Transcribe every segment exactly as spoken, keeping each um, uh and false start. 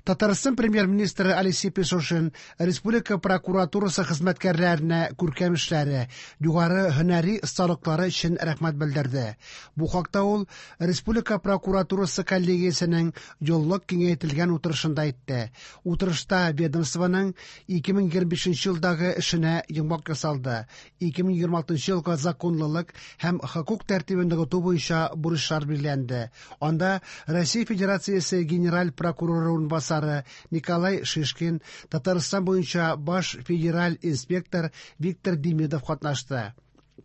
Татарстан премьер-министры Алексей Песошин республика прокуратурасы хезмәткәрләренә күркәм эшләре, югары һөнәри осталыклары өчен рәхмәт белдерде. Бу хакта ул республика прокуратурасы коллегиясенең еллык киңәйтелгән утырышында әйтте. Утырышта ведомствоның ике мең егерме бишенче елдагы эшенә йомгак ясалды. ике мең егерме алтынчы елга законлылык һәм хокук тәртибен ныгыту буенча бурычлар билгеләнде. Анда Россия Федерациясе генераль прокуроры урынбасары Николай Шишкин, Татарстан буенча баш федераль инспектор Виктор Демидов катнашты.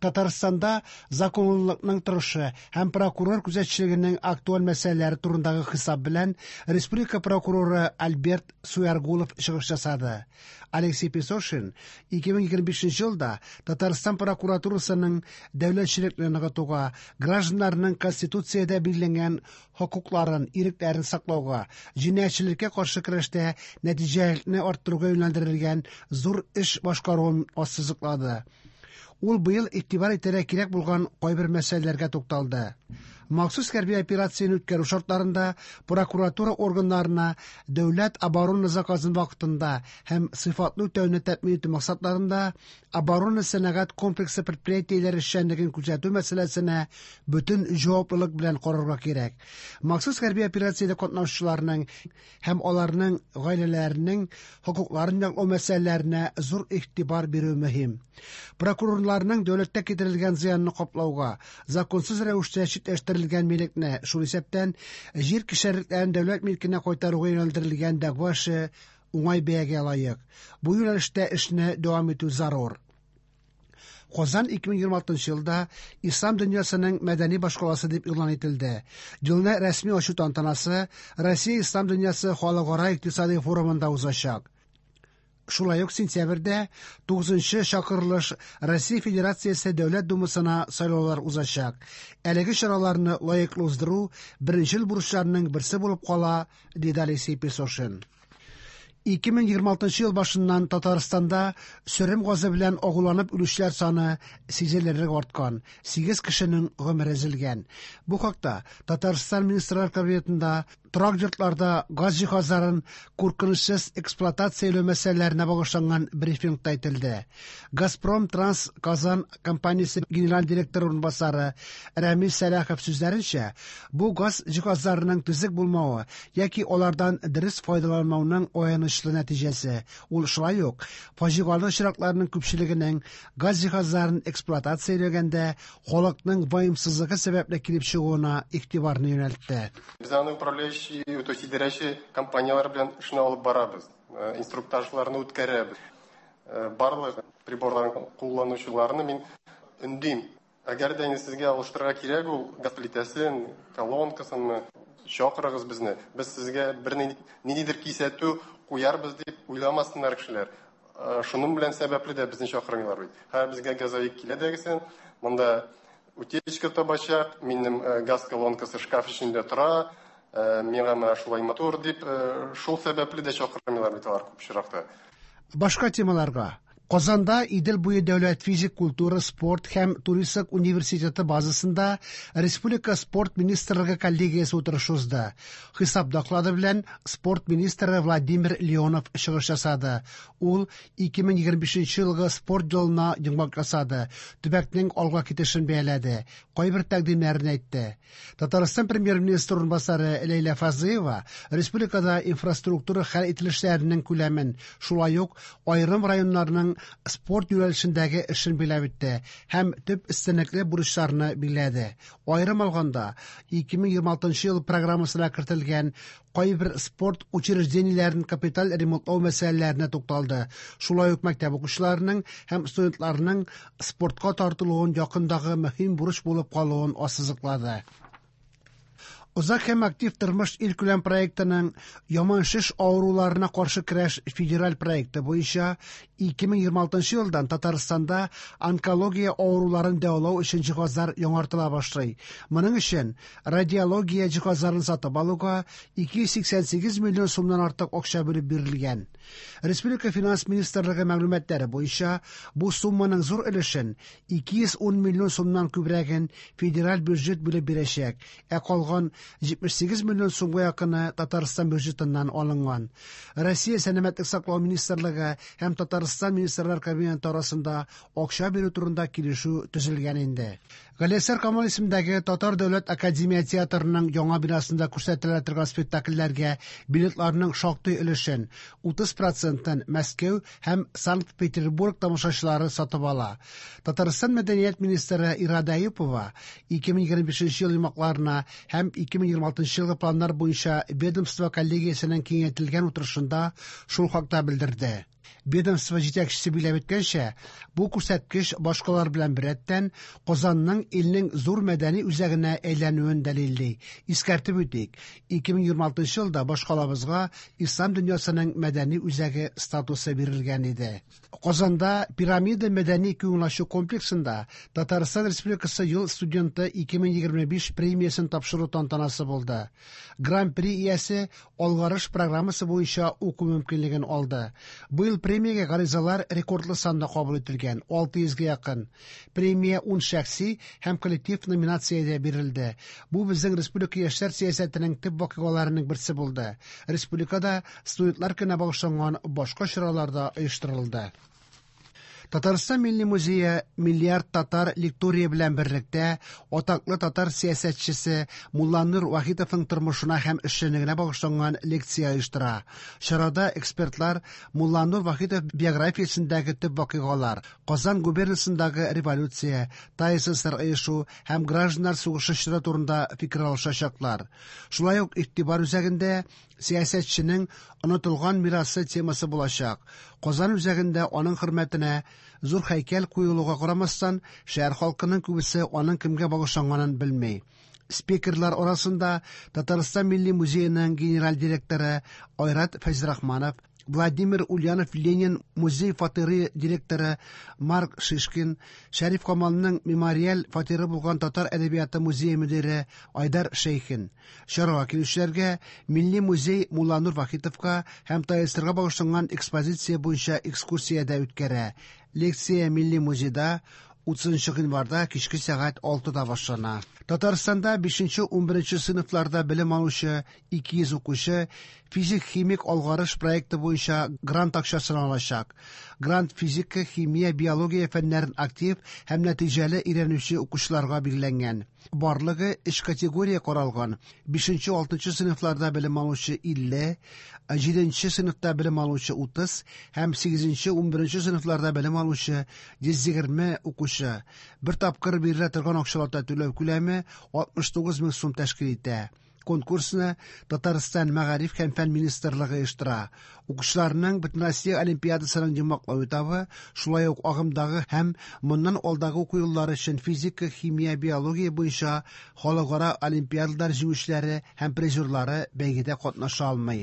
Татарстанда законлылыкның торышы һәм прокурор күзәтчелегенең актуаль мәсьәләләре турындагы хисап белән республика прокуроры Альберт Суяргулов чыгыш ясады. Алексей Песошин ике мең егерме бишенче елда Татарстан прокуратурасының дәүләтчелекне ныгытуга, гражданнарның конституциядә билгеләнгән хокукларын, ирекләрен саклауга, җинаятьчелеккә каршы көрәштә нәтиҗәлелекне арттыруга юнәлдерелгән зур эш башкаруын ассызыклады. Ул быел игътибар итәргә кирәк булган кайбер мәсьәләләргә тукталды. Махсус хәрби операцияне үткәрү шартларында прокуратура органнарына дәүләт оборона заказын вакытында һәм сыйфатлы үтәүне тәэмин итү максатларында оборона сәнәгать комплексы предприятиеләре эшчәнлеген күзәтү мәсьәләсенә бөтен җаваплылык белән карарга кирәк. Махсус хәрби операциядә катнашучыларның һәм аларның гаиләләренең хокукларын яклау мәсьәләләренә зур игътибар бирү мөһим. Прокурорларның дәүләткә китерелгән зыянны каплауга, законсыз рәвештә читләштерелгән милекне, шул исәптән җир кишәрлекләрен дәүләт милкенә кайтаруга юнәлдерелгән дәгъва эше уңай бәягә лаек. Бу юнәлештә эшне дәвам итү зарур. Казан ике мең егерме алтынчы елда Ислам дөньясының мәдәни башкаласы дип игълан ителде. Елны рәсми ачу тантанасы Россия Ислам дөньясы халыкара икътисади форумында узачак. Шулай ук сентябрьдә тугызынчы чакырылыш Россия Федерациясе Дәүләт Думасына сайлаулар узачак. Әлеге чараларны лаеклы уздыру беренчел бурычларның берсе булып кала, диде Алексей Песошин. Ике мең егерме алтынчы ел башыннан Татарстанда сөрем газы белән агуланып үлүчеләр саны сизелерлек арткан, сигез кешенең гомере өзелгән. Бу хакта Татарстан Министрлар Кабинетында торак йортларда газ җиһазларын куркынычсыз эксплуатацияләү мәсьәләләренә багышланган брифингта әйтелде. Газпром Транс Казан компаниясе генераль директоры урынбасары Рәмис Сәлахов сүзләренчә, бу газ җиһазларының төзек булмавы яки алардан дөрес файдаланмауның аянычлы нәтиҗәсе. Ул шулай ук фаҗигале очракларның күпчелегенең газ җиһазларын эксплуатацияләгәндә халыкның ваемсызлыгы сәбәпле килеп чыгуына игътибарны юнәлтте. Без аны управляющий, то есть идарәче компанияләр белән эшне алып барабыз, э, инструктажларны үткәрәбез. Э, барлык приборларын кулланучыларны мин өндим. Әгәр дә инде сезгә алыштырырга кирәк ул газ плитәсен, колонкасын, чакырыгыз безне. Без сезгә бер ни-, ниндидер кисәтү куярбыз дип уйламасыннар кешеләр. Э, шуның белән сәбәпле дә безне чакырмыйлар бит. Хәзер безгә газовик килә дә монда утечка табачак, минем, э, газ колонкасы шкаф эчендә тора, э, миңа менә шулай матур дип, э, шул сәбәпле дә чакырмыйлар бит алар күп очракта. Башка темаларга. Казанда Идел буе дәүләт физик культура, спорт һәм туристик университеты базасында Республика спорт министрлыгы коллегиясе утырышы узды. Хисап доклады белән спорт министры Владимир Леонов чыгыш ясады. Ул ике мең егерме бишенче елгы спорт елына йомгак ясады, төбәкнең алга китешен бәяләде, кайбер тәкъдимнәрен әйтте. Татарстан премьер-министры урынбасары Ләйлә Фазлыева республикада инфраструктура хәл ителешләренең күләмен, шулай ук аерым районнарның спорт юнәлешендәге эшен биләп үтте һәм төп өстенлекле бурычларны билгеләде. Аерым алганда, ике мең егерме алтынчы ел программасына кертелгән кайбер спорт учреждениеләрен капиталь ремонтлау мәсьәләләренә тукталды. Шулай ук мәктәп укучыларының һәм студентларның спортка тартылуын якындагы мөһим бурыч булып калуын ассызыклады. Озак һәм актив тормыш илкүләм проектының яман шеш авыруларына каршы көрәш федераль проекты буенча ике мең егерме алтынчы елдан Татарстанда онкология авыруларын дәвалау өчен җиһазлар яңартыла башлый. Моның өчен радиология җиһазларын сатып алуга ике йөз сиксән сигез миллион сумнан артык акча бүлеп бирелгән. Республика Финанс министрлыгы мәгълүматлары буенча бу сумманың зур өлешен ике йөз ун миллион сумнан күбрәген федераль бюджет бүлеп бирәчәк, ә калган җитмеш сигез миллион сумга якыны Татарстан бюджетыннан алынган. Россия Сәламәтлек саклау министрлыгы һәм Татарстан Министрлар Кабинеты арасында акча бирү турында килешү төзелгән инде. Галиәсгар Камал исемендәге Татар дәүләт академия театрының яңа бинасында күрсәтелә торган спектакльләргә билетларның шактый өлешен, утыз процентын Мәскәү һәм Санкт-Петербург тамашачылары сатып ала. Татарстан мәдәният министры Ирада Әюпова ике мең егерме бишенче ел йомгакларына һәм ике мең егерме алтынчы елгы планнар буенча ведомство коллегиясенең киңәйтелгән утырышында шул хакта белдерде. Ведомство җитәкчесе билгеләп үткәнчә, бу күрсәткеч башкалар белән беррәттән Казанның илнең зур мәдәни үзәгенә әйләнүен дәлилли. Искәртеп үтик, ике мең егерме алтынчы елда башкалабызга Ислам дөньясының мәдәни үзәге статусы бирелгән иде. Казанда Пирамида мәдәни күңел ачу комплексында Татарстан Республикасы ел студенты ике мең егерме биш премиясен тапшыру тантанасы булды. Гран-при иясе Алгарыш программасы буенча уку мөмкинлеген алды. Быел премиягә гаризалар рекордлы санда кабул ителгән, алты йөзгә якын. Премия ун шәхси һәм коллектив номинациядә бирелде. Бу безнең республика яшьләр сәясәтенең төп вакыйгаларының берсе булды. Республикада студентлар көненә багышланган башка чаралар да оештырылды. Татарстан Милли музее Миллиард татар лектория белән берлектә атаклы татар сәясәтчесе Мулланур Вахитовның тормышына һәм эшчәнлегенә багышланган лекция оештыра. Чарада экспертлар Мулланур Вахитов биографиясендәге төп вакыйгалар, Казан губернасындагы революция, ТАССР оешу һәм гражданнар сугышы чоры турында фикер алышачаклар. Шулай ук игътибар үзәгендә сәясәтченең онытылган мирасы темасы булачак. Казан үзәгендә аның хөрмәтенә зур һәйкәл куелуга карамастан, шәһәр халкының күбесе аның кемгә багышланганын белми. Спикерлар арасында Татарстан Милли музееның генераль директоры Айрат Фәйзрахманов, Владимир Ульянов Ленин музей фатиры директоры Марк Шишкин, Шәриф Камалның мемориаль фатиры булган Татар әдәбияты музее мөдире Айдар Шәйхин. Чарага килүчеләргә Милли музей Мулланур Вахитовка һәм ТАССРга багышланган экспозиция буенча экскурсия дә үткәрә. Лекция Милли музейда утызынчы гыйнварда кичке сәгать алтыда башлана. Татарстанда бишенче унберенче сыйныфларда белем алучы ике йөз укучы физик-химик алгарыш проекты буенча грант акчасын алачак. Грант физика, химия, биология фәннәрен актив һәм нәтиҗәле өйрәнүче укучыларга билгеләнгән. Барлыгы өч категория каралган. Бишенче алтынчы сыйныфларда белем алучы илле, җиденче сыйныфта белем алучы утыз һәм сигезенче унберенче сыйныфларда белем алучы йөз егерме укучы. Бер тапкыр бирелә торган акчалата түләү күләме алтмыш тугыз мең сум тәшкил итә. Конкурсны Татарстан Мәгариф һәм фән министрлыгы оештыра. Укучыларның Бөтенроссия олимпиадасының йомгаклау этабы шулай ук агымдагы һәм моннан алдагы уку еллары өчен физика, химия, биология буенча халыкара олимпиадалар җиңүчеләре һәм призерлары бәйгедә катнаша алмый.